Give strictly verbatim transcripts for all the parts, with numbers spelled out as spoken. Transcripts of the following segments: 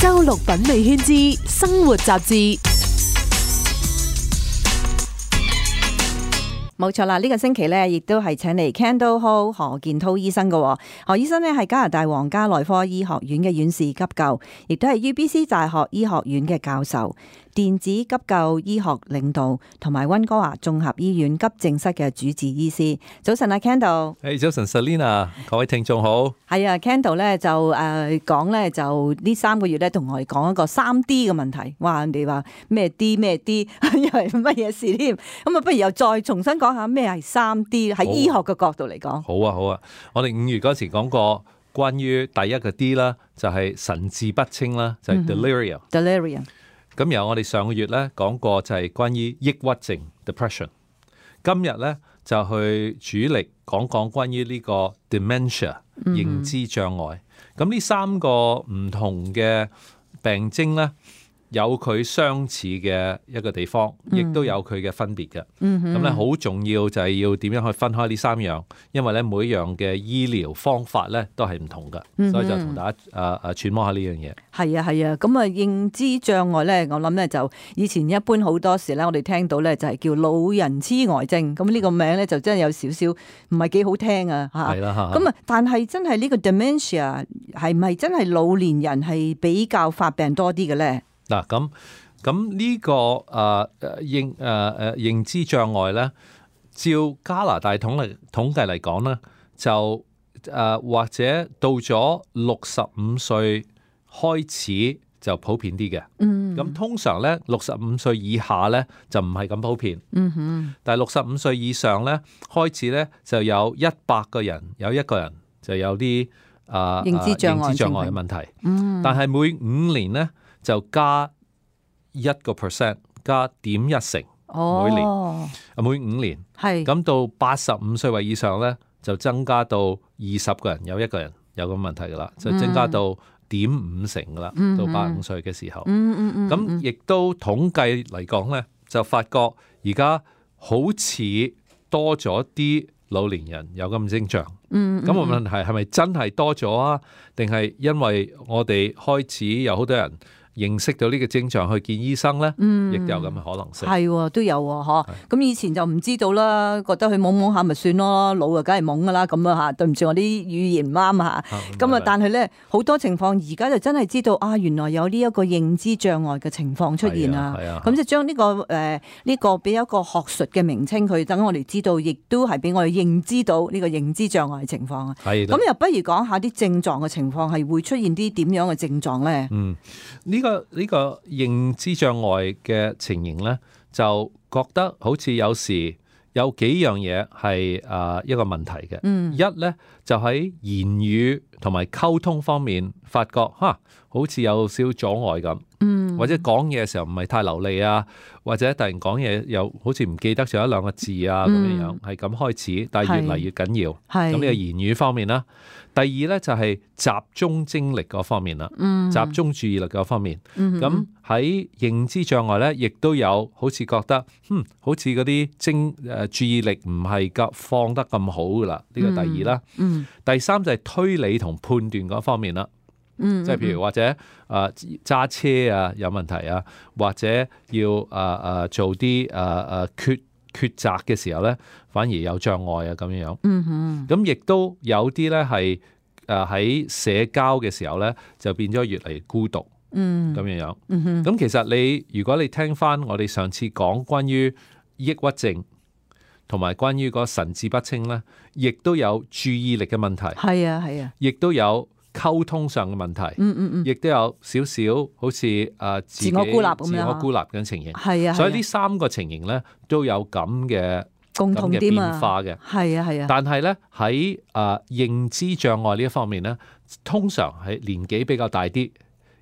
周六品味圈之生活雜誌。冇錯啦，呢、這個星期咧，亦都係請嚟 Candle Hall 何建滔醫生嘅。何醫生咧係加拿大皇家內科醫學院嘅院士急救，亦都係 U B C 大學醫學院嘅教授，電子急救醫學領導，同埋溫哥華綜合醫院急症室嘅主治醫師。早晨啊 ，Candle。誒，早晨 Selina，各位聽眾好。係啊 ，Candle 咧就誒講咧就呢三個月咧同我哋講一個三 D 嘅問題。哇，人哋話咩 D 咩 D， 因為乜嘢事添？咁啊，不如又再重新講下咩係三 D 喺醫學嘅角度嚟講。好啊，好啊。我哋五月嗰時講過關於第一個 D 啦，就係神志不清啦，就係 delirium。delirium。咁由我哋上個月咧講過就係關於抑鬱症 depression。今日咧就去主力講講關於呢個 dementia 認知障礙。咁呢三個唔同嘅病徵咧，有佢相似嘅一個地方，亦都有佢嘅分別嘅。咁咧好重要就係要點樣去分開呢三樣，因為咧每一樣嘅醫療方法咧都係唔同嘅，嗯、所以就同大家誒誒揣摩下呢樣嘢。係啊係啊，咁啊認知障礙咧，我諗咧就以前一般好多時咧，我哋聽到咧就係叫老人痴呆症，咁呢個名咧就真係有少少唔係幾好聽啊嚇。係啦嚇。咁啊，但係真係呢個 dementia 係咪真係老年人係比較發病多啲嘅咧？嗱，咁咁呢個誒誒認誒誒認知障礙咧，照加拿大統嚟統計嚟講咧，就誒、呃、或者到咗六十五歲開始就普遍啲嘅。嗯，咁通常咧六十五歲以下咧就唔係咁普遍。嗯哼，但係六十五歲以上咧開始咧就有一百個人有一個人就有啲誒、呃、認知障礙、認知障礙嘅問題。嗯，但係每五年咧，就加一個 percent， 加點一成，每年，哦、每五年，係咁到八十五歲或以上咧，就增加到二十個人有一個人有咁問題噶啦，就增加到點五成噶啦，嗯、到八十五歲嘅時候，嗯嗯嗯，咁亦都統計嚟講咧，就發覺而家好似多咗啲老年人有咁徵象，嗯，咁個問題係咪真係多咗啊？定係因為我哋開始有好多人認識到呢個症狀去見醫生咧，嗯，亦都有咁嘅可能性。係，都有嗬。咁以前就唔知道啦，覺得佢懵懵下咪算咯，老啊梗係懵噶啦，咁啊吓。對唔住，我啲語言唔啱啊吓。咁啊，但係咧好多情況而家就真係知道啊，原來有呢一個認知障礙嘅情況出現啊。係啊。咁就將呢個誒呢個俾一個學術嘅名稱佢，等我哋知道，亦都係俾我哋認知到呢個認知障礙嘅情況啊。係。咁又不如講下啲症狀嘅情況，係會出現啲點樣嘅症狀咧？嗯，呢、這個呢、這個認知障礙嘅情形咧，就覺得好似有時有幾樣嘢係誒一個問題嘅。嗯，一咧就喺言語同埋溝通方面，發覺吓好似有少少阻礙咁。嗯，或者講嘢嘅時候唔係太流利啊，或者突然講嘢又好似唔記得咗一兩個字啊咁樣樣，係咁開始，但係越嚟越緊要。係咁呢個言語方面啦。第二咧就係集中精力嗰方面啦，嗯、集中注意力嗰方面。咁喺、嗯、認知障礙咧，亦都有好似覺得，嗯，好似嗰啲精誒注意力唔係咁放得咁好噶啦。呢、這個第二啦。嗯嗯、第三就係推理同判斷嗰方面啦。嗯，即係譬如或者誒揸、呃、車啊有問題啊，或者要誒誒、呃、做啲誒誒抉抉擇嘅時候咧，反而有障礙啊咁樣樣。嗯哼，咁亦都有啲咧係誒喺社交嘅時候咧，就變咗越嚟越孤獨。嗯，咁樣樣。嗯哼，咁其實你如果你聽翻我哋上次講關於抑鬱症同埋關於個神志不清咧，亦都有注意力嘅問題。係啊係啊，亦都有溝通上嘅問題，嗯嗯嗯，亦都有少少好似誒自己自我孤立咁樣，自我孤立嘅情形，係啊，所以呢三個情形咧都有咁嘅共同點啊，變化嘅，係啊係啊。但係咧喺誒認知障礙呢一方面咧，通常係年紀比較大啲，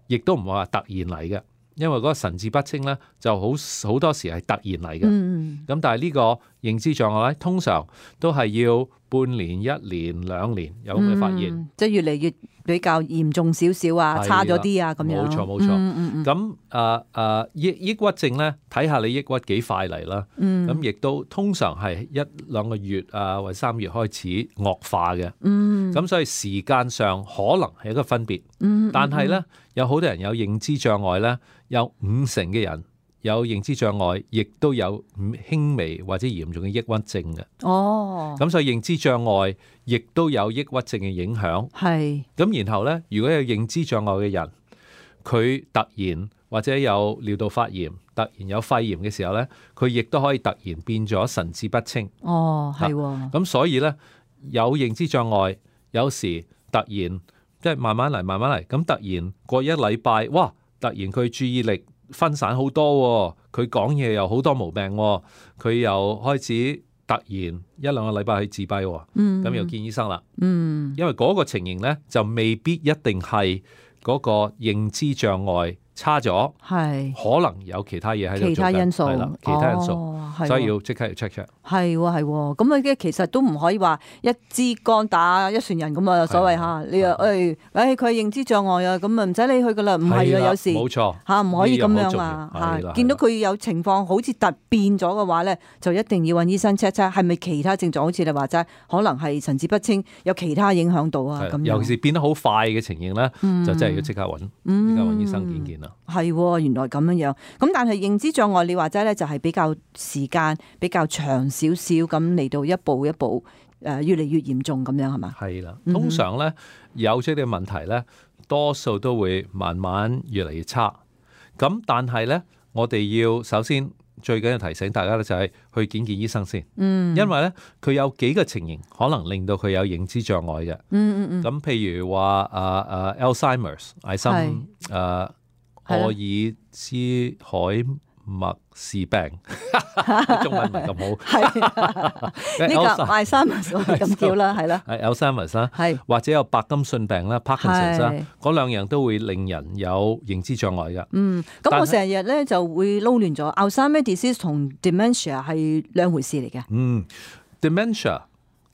亦都唔係話突然嚟嘅，因為嗰個神志不清咧就好好多時係突然嚟嘅。嗯，咁但係呢個認知障礙咧，通常都係要半年、一年、兩年有咁嘅發現，嗯、即係越嚟越比較嚴重少少啊，差咗啲啊咁樣。冇錯冇錯。嗯咁誒誒抑抑鬱症咧，睇下你抑鬱幾快嚟啦。咁亦、嗯、都通常係一兩個月啊，或者三月開始惡化嘅。咁、嗯、所以時間上可能係一個分別。嗯、但係咧，嗯、有好多人有認知障礙咧，有五成嘅人有認知障礙，亦都有輕微或者嚴重嘅抑鬱症嘅。哦，咁所以認知障礙亦都有抑鬱症嘅影響。係。咁然後咧，如果有認知障礙嘅人，佢突然或者有尿道發炎，突然有肺炎嘅時候咧，佢亦都可以突然變咗神志不清。哦，係喎。咁所以咧，有認知障礙，有時突然即係慢慢嚟，慢慢嚟，咁突然過一禮拜，哇！突然佢注意力分散好多，佢講嘢又好多毛病，佢又開始突然一兩個禮拜去自閉，咁、嗯、又見醫生啦。嗯，因為嗰個情形咧就未必一定係嗰個認知障礙差咗，係可能有其他嘢喺度做緊，其他因素係啦，其他因素，哦、所以要即刻要 check check。係喎係喎，咁啊其實都唔可以話一支竿打一船人咁啊，所謂嚇你啊誒誒佢係認知障礙啊，咁啊唔使理佢噶啦，唔係啊有時冇錯嚇唔可以咁樣啊嚇，見到佢有情況好似突變咗嘅話咧，就一定要揾醫生 check check 係咪其他症狀，好似你話齋，可能係神志不清，有其他影響到啊咁。尤其是變得好快嘅情形咧，嗯、就真係要即刻揾，即、嗯、刻揾醫生見見啦。係喎，原來咁樣樣。咁但係認知障礙，你話齋咧，就係比較時間比較長少少咁嚟到一步一步誒，越嚟越嚴重咁樣係嘛？係啦，通常咧有咗啲問題咧，多數都會慢慢越嚟越差。咁但係咧，我哋要首先最緊要提醒大家咧，就係去見見醫生先。嗯，因為咧佢有幾個情形可能令到佢有認知障礙嘅。嗯嗯嗯。咁譬如話誒誒 Alzheimer's 艾森誒。阿爾茲海默氏病，中文唔係咁好。係呢個艾森默咁叫啦，係啦。係 Alzheimer's 啦，係或者有白金遜病啦 ，Parkinson's 啦，嗰兩樣都會令人有認知障礙㗎。嗯，咁我成日咧就會撈亂咗 Alzheimer's disease 同 dementia 係兩回事嚟嘅。嗯 ，dementia。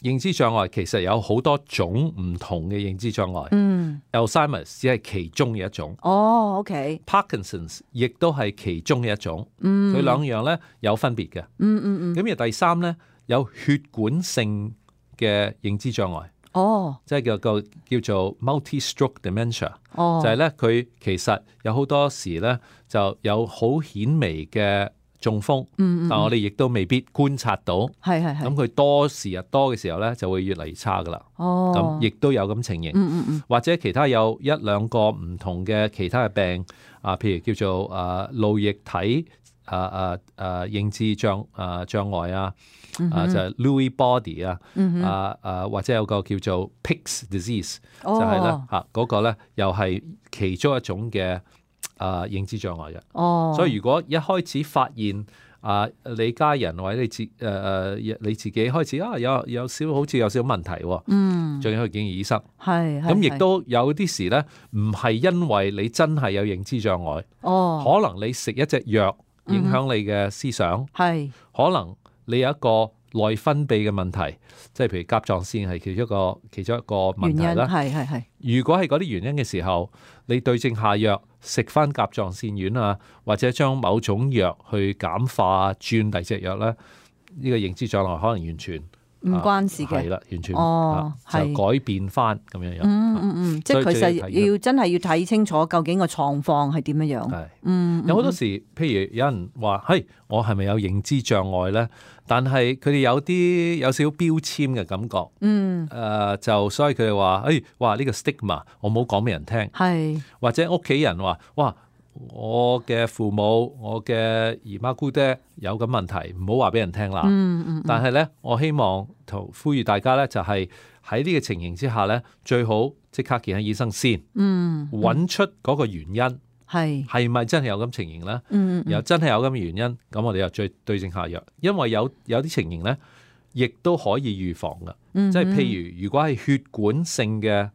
認知障礙其實有好多種唔同嘅認知障礙。嗯 Alzheimer's 只係其中嘅一種。哦 ，OK。Parkinson's 亦都係其中嘅一種。嗯，佢兩樣咧有分別嘅。嗯嗯嗯。咁而第三咧有血管性嘅認知障礙。哦，即係叫個叫做 multi-stroke dementia。哦，就係咧佢其實有好多時咧就有好顯微嘅中風，嗯嗯，但我哋亦都未必觀察到，係係係。咁佢多時日多嘅時候咧，就會越嚟越差噶啦。哦，咁亦都有咁情形，嗯嗯嗯，或者其他有一兩個唔同嘅其他嘅病啊，譬如叫做啊腦液體啊啊啊認知障啊障礙啊，嗯、啊就係、是、Lewy body 啊，嗯、啊啊或者有個叫做 Pick's disease，哦、就係咧嚇嗰個咧又係其中一種嘅。啊，認知障礙嘅，哦，所以如果一開始發現啊，你家人或者你自誒誒、呃、你自己開始啊有有少好似有少少問題，嗯，仲要去見醫生，係，咁亦都有啲時咧，唔係因為你真係有認知障礙，哦，可能你食一隻藥影響你嘅思想，係、嗯，可能你有一個內分泌嘅問題，即係譬如甲狀腺係其中一個其中一個問題啦，係係係。如果係嗰啲原因嘅時候，你對症下藥，食翻甲狀腺丸啊，或者將某種藥去簡化轉第二隻藥咧，呢、呢個認知障礙可能完全唔關事嘅，係啦、啊，完全哦，就改變翻咁樣樣。嗯嗯嗯，即係其實要真係要睇清楚究竟個狀況係點樣樣。係，嗯，有好多時，譬如有人話，嘿，我係咪有認知障礙咧？但係佢哋有啲有少少標籤嘅感覺。嗯，誒、呃，就所以佢哋話，誒，哇，呢、呢個 stigma，我冇講俾人聽。係，或者屋企人話，哇。我嘅父母、我嘅姨媽姑爹有咁問題，唔好話俾人聽啦。嗯嗯嗯、但係咧，我希望同呼籲大家咧，就係喺呢個情形之下咧，最好即刻見下醫生先，嗯，揾、嗯、出嗰個原因係係咪真係有咁情形咧？嗯，又真係有咁嘅原因，咁我哋又再對症下藥。因為有有啲情形咧，亦都可以預防噶。嗯嗯、即係譬如如果係血管性嘅。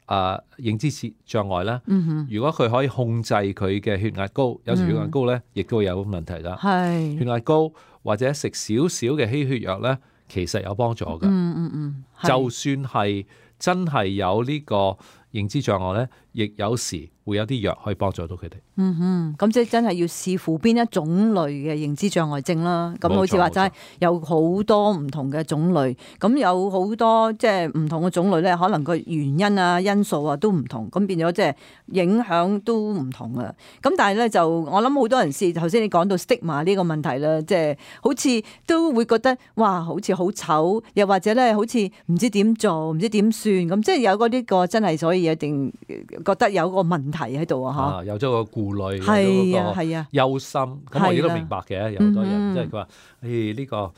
啊，認知障礙咧，嗯、如果佢可以控制佢嘅血壓高，有時血壓高咧，亦都會有問題㗎。係血壓高或者食少少嘅稀血藥咧，其實有幫助㗎。嗯嗯嗯，就算係真係有呢個認知障礙咧，亦有時會有啲藥可以幫助到佢哋。嗯哼，咁即係真係要視乎邊一種類嘅認知障礙症啦。咁好似話齋有好多唔同嘅種類，咁有好多即係唔同嘅種類咧，可能個原因啊、因素啊都唔同，咁變咗即係影響都唔同啊。咁但係咧就我諗好多人試頭先你講到 stigma 呢個問題啦，即係好似都會覺得哇，好似好醜，又或者咧好似唔知點做、唔知點算咁，即係有嗰啲個真係，所以一定覺得有個問題喺度啊！嚇，有咗個顧慮，係啊係啊，憂心。咁我亦都明白嘅，有好多人即係佢話：誒呢個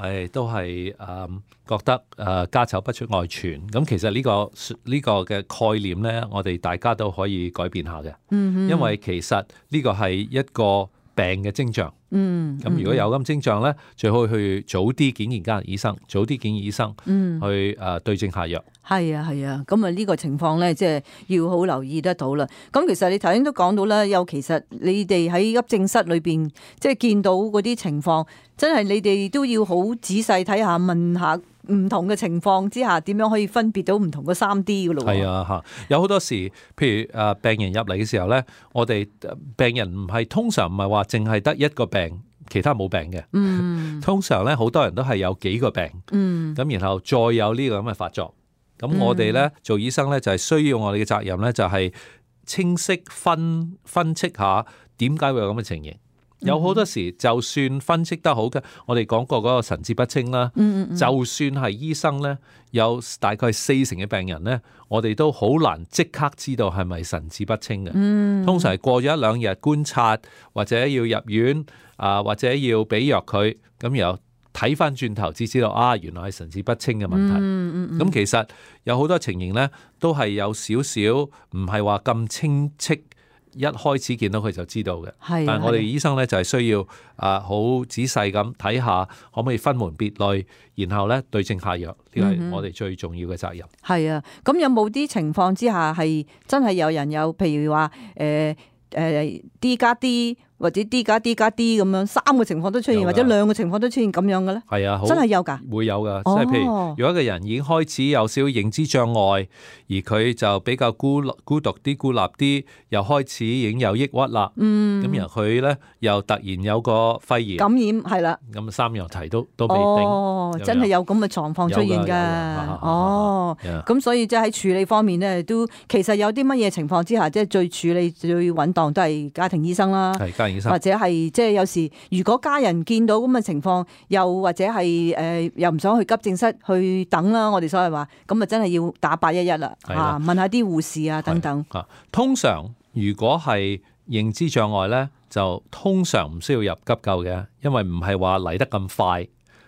誒都係誒覺得誒家醜不出外傳。咁其實呢個呢個嘅概念咧，我哋大家都可以改變下嘅。嗯，因為其實呢個係一個病嘅徵象。嗯，咁如果有咁徵象咧，最好去早啲見見家人醫生，早啲見醫生，嗯，去誒對症下藥。係啊係啊，咁啊呢個情況咧，即係要好留意得到啦。咁其實你頭先都講到啦，有其實你哋喺急症室裏邊，即係見到嗰啲情況，真係你哋都要好仔細睇下，問下唔同嘅情況之下，點樣可以分別到唔同嘅三 D 噶咯？係啊嚇，有好多時，譬如誒病人入嚟嘅時候咧，我哋病人唔係通常唔係話淨係得一個病。其他冇病嘅，嗯，通常咧好多人都係有幾個病，嗯，咁然後再有呢個咁嘅發作，咁我哋咧做醫生咧就係需要我哋嘅責任咧就係清晰分分析下點解會有咁嘅情形。有好多時就算分析得好嘅，我哋講過嗰個神志不清啦，嗯嗯，就算係醫生咧，有大概四成嘅病人咧，我哋都好難即刻知道係咪神志不清嘅。嗯，通常係過咗一兩日觀察，或者要入院啊，或者要俾藥佢，咁然後睇翻轉頭至知道啊，原來係神志不清嘅問題。嗯嗯，咁其實有好多情形咧，都係有少少唔係話咁清晰。一開始見到佢就知道嘅，但係我哋醫生咧就係需要啊好仔細咁睇下，可唔可以分門別類，然後咧對症下藥，呢個係我哋最重要嘅責任。係啊，咁有冇啲情況之下係真係有人有，譬如話誒誒 D 加 D 或者 D 加 D 加 D 咁樣三個情況都出現，或者兩個情況都出現咁樣嘅咧？係啊，真係有㗎，會有㗎。即係譬如，如果一個人已經開始有少少認知障礙，而佢就比較孤孤獨啲、孤立啲，又開始已經有抑鬱啦。嗯，咁然後佢咧又突然有個肺炎感染，係啦。咁三樣題都都未定。哦，真係有咁嘅狀況出現㗎。哦，咁所以即係喺處理方面咧，都其實有啲乜嘢情況之下，即係最處理最穩當都係家庭醫生啦。係家庭醫生，或者係即係有時，如果家人見到咁嘅情況，又或者係誒、呃、又唔想去急症室去等啦，我哋所謂話，咁啊真係要打八一一啦，嚇問下啲護士啊等等。啊，通常如果係認知障礙咧，就通常唔需要入急救嘅，因為唔係話嚟得咁快，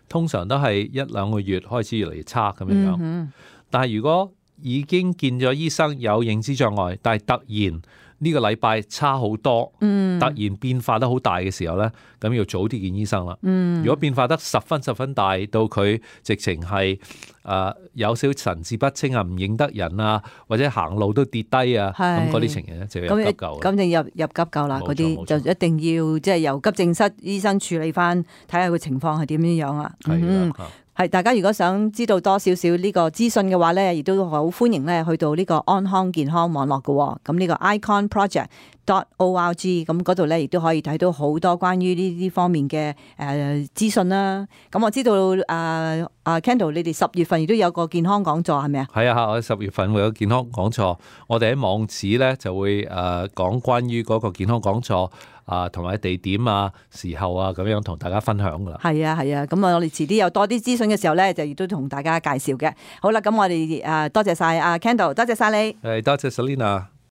通常都係一兩個月開始越嚟越差咁樣樣。嗯、但係如果已經見咗醫生有認知障礙，但係突然呢個禮拜差好多，嗯、突然變化得好大嘅時候咧，咁要早啲見醫生啦。嗯、如果變化得十分十分大，到佢直情係誒有少神志不清啊，唔認得人啊，或者行路都跌低啊，咁嗰啲情形咧就要入急救。咁就入入急救啦，嗰啲就一定要即係由急症室醫生處理翻，睇下個情況係點樣樣啊。嗯係，大家如果想知道多少少呢個資訊嘅話咧，亦都好歡迎咧去到呢個安康健康網絡嘅。咁呢個 icon project dot org，咁嗰度咧亦都可以睇到好多關於呢啲方面嘅誒資訊啦。咁我知道誒啊、呃、Kendall， 你哋十月份亦都有個健康講座係咪啊？係啊，我十月份會有健康講座，我哋喺網址咧就會誒講關於嗰個健康講座。啊，同埋地點啊、時候啊，咁樣同大家分享噶啦。係啊，係啊，咁啊，我哋遲啲有多啲資訊嘅時候咧，就亦都同大家介紹嘅。好啦，咁我哋誒多謝晒阿 Kendall，多謝晒你。誒，多謝 Selina。